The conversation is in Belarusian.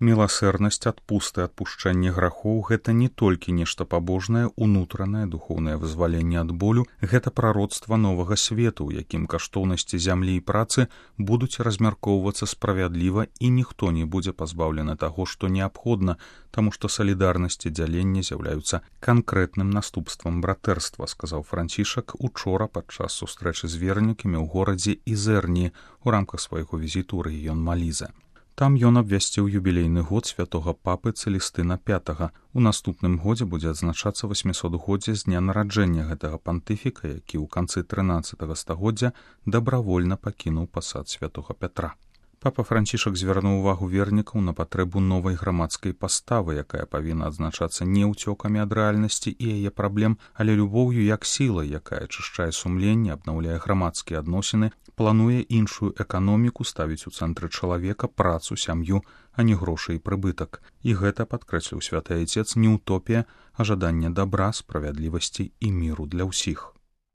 Міласэрнасць, адпусты, адпушчэнне грахоў — гэта не толькі нешта пабожнае, унутранае, духоўнае вызваленне ад болю, гэта прароцтва новага свету, у якім каштоўнасці зямлі і працы будуць размяркоўвацца справядліва і ніхто не будзе пазбаўлены таго, што неабходна, таму што салідарнасць і дзяленне з'яўляюцца канкрэтным наступствам братэрства, сказаў Францішак учора падчас сустрэчы з вернікамі ў горадзе Ізэрні у рамках свайго візіту ў рэгіён Малізе. Там ён абвясціў юбілейны год святога папы Цэлістына V. У наступным годзе будзе адзначацца 800годдзе з дня нараджэння гэтага пантыфіка, які ў канцы 13 стагоддзя дабравольна пакінуў пасад святога Пятра. Папа Францішак звярнуў увагу вернікаў на патрэбу новай грамадскай паставы, якая павінна адзначацца не ўцёкамі ад рэальнасці і яе праблем, але любоўю як сілай, якая ачышчае сумленне, абнаўляе грамадскія адносіны, плануе іншую эканоміку, ставіць у цэнтры чалавека, працу, сям'ю, а не грошы і прыбытак. І гэта, падкрэсліў святы айцец, не утопія, а жаданне дабра, справядлівасці і міру для ўсіх.